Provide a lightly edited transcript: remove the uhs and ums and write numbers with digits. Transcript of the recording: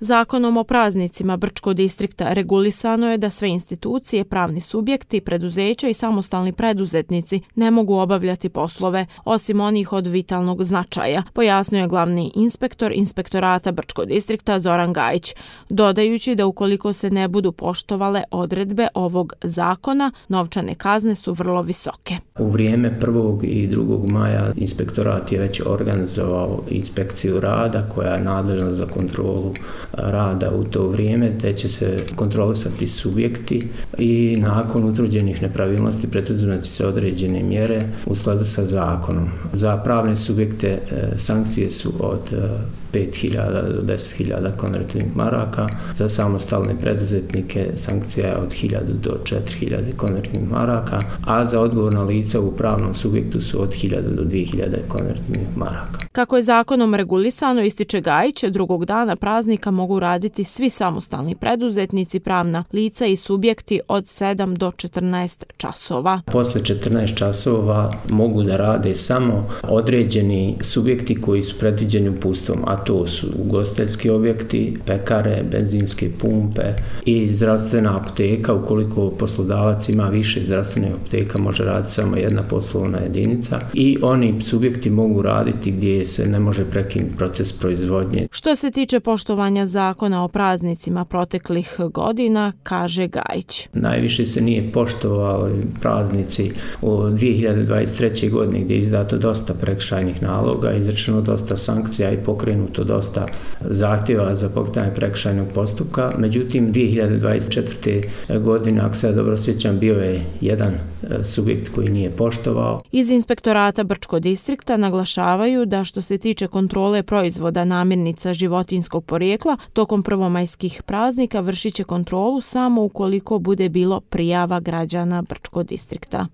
Zakonom o praznicima Brčkog distrikta regulisano je da sve institucije, pravni subjekti, preduzeća i samostalni preduzetnici ne mogu obavljati poslove, osim onih od vitalnog značaja, pojasnio je glavni inspektor Inspektorata Brčkog distrikta Zoran Gajić, dodajući da ukoliko se ne budu poštovale odredbe ovog zakona, novčane kazne su vrlo visoke. U vrijeme 1. i 2. maja inspektorat je već organizovao inspekciju rada koja je nadležna za kontrolu rada u to vrijeme, te će se kontrolisati subjekti i nakon utvrđenih nepravilnosti preduzimati se određene mjere u skladu sa zakonom. Za pravne subjekte sankcije su od 5.000 do 10.000 konvertnih maraka, za samostalne preduzetnike sankcija je od 1.000 do 4.000 konvertnih maraka, a za odgovorna lica u pravnom subjektu su od 1.000 do 2.000 konvertnih maraka. Kako je zakonom regulisano, ističe Gajić, drugog dana praznika mogu raditi svi samostalni preduzetnici, pravna lica i subjekti od 7 do 14 časova. Posle 14 časova mogu da rade samo određeni subjekti koji su predviđeni uputstvom, a to su ugostiteljski objekti, pekare, benzinske pumpe i zdravstvena apoteka. Ukoliko poslodavac ima više zdravstvenih apoteka, može raditi samo jedna poslovna jedinica i oni subjekti mogu raditi gdje se ne može prekinuti proces proizvodnje. Što se tiče poštovanja zakona o praznicima proteklih godina, kaže Gajić. Najviše se nije poštovali praznici u 2023. godine gdje je izdato dosta prekršajnih naloga, izrečeno dosta sankcija i pokrenuto dosta zahtjeva za pokretanje prekršajnog postupka. Međutim, 2024. godine, ako se ja dobro sjećam, bio je jedan subjekt koji nije poštovao. Iz Inspektorata Brčkog distrikta naglašavaju da što se tiče kontrole proizvoda namirnica životinjskog porijekla, tokom prvomajskih praznika vršit će kontrolu samo ukoliko bude bilo prijava građana Brčkog distrikta.